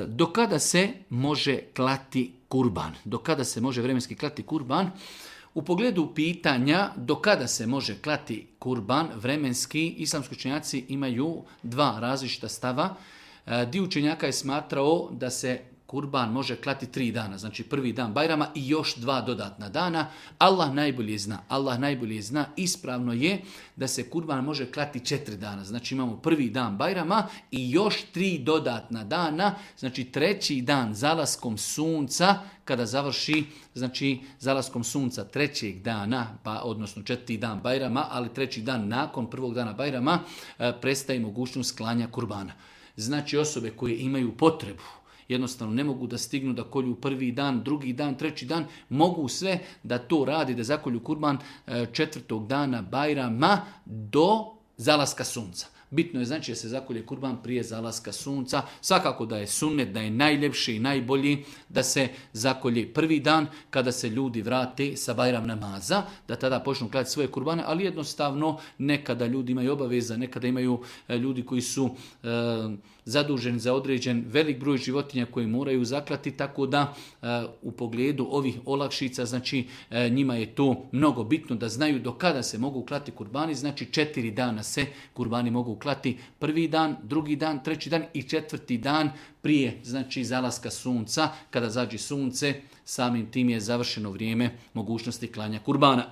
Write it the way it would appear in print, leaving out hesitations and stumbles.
Do kada se može klati kurban? Do kada se može vremenski klati kurban? U pogledu pitanja do kada se može klati kurban, vremenski islamski učenjaci imaju dva različita stava. Dio učenjaka je smatrao da se kurban može klati 3 dana, znači prvi dan Bajrama i još 2 dodatna dana. Allah najbolje zna, ispravno je da se kurban može klati 4 dana. Znači imamo prvi dan Bajrama i još 3 dodatna dana, znači 3. dan zalaskom sunca, kada završi, znači zalaskom sunca 3. dana, odnosno 4. dan Bajrama, ali 3. dan nakon prvog dana Bajrama prestaje mogućnost klanja kurbana. Znači osobe koje imaju potrebu, jednostavno ne mogu da stignu da kolju prvi dan, drugi dan, 3. dan, mogu sve da to radi, da zakolju kurban 4. dana Bajrama do zalaska sunca. Bitno je znači da se zakolje kurban prije zalaska sunca. Svakako da je sunnet, da je najljepši i najbolji da se zakolje prvi dan kada se ljudi vrate sa Bajram namaza, da tada počnu klati svoje kurbane, ali jednostavno nekada ljudi imaju obaveza, nekada imaju ljudi koji su zaduženi za određen velik broj životinja koji moraju zaklati, tako da u pogledu ovih olakšica, znači njima je to mnogo bitno da znaju do kada se mogu klati kurbani, znači 4 dana se kurbani mogu klati, prvi dan, drugi dan, 3. dan i 4. dan prije, znači zalaska sunca, kada zađe sunce, samim tim je završeno vrijeme mogućnosti klanja kurbana.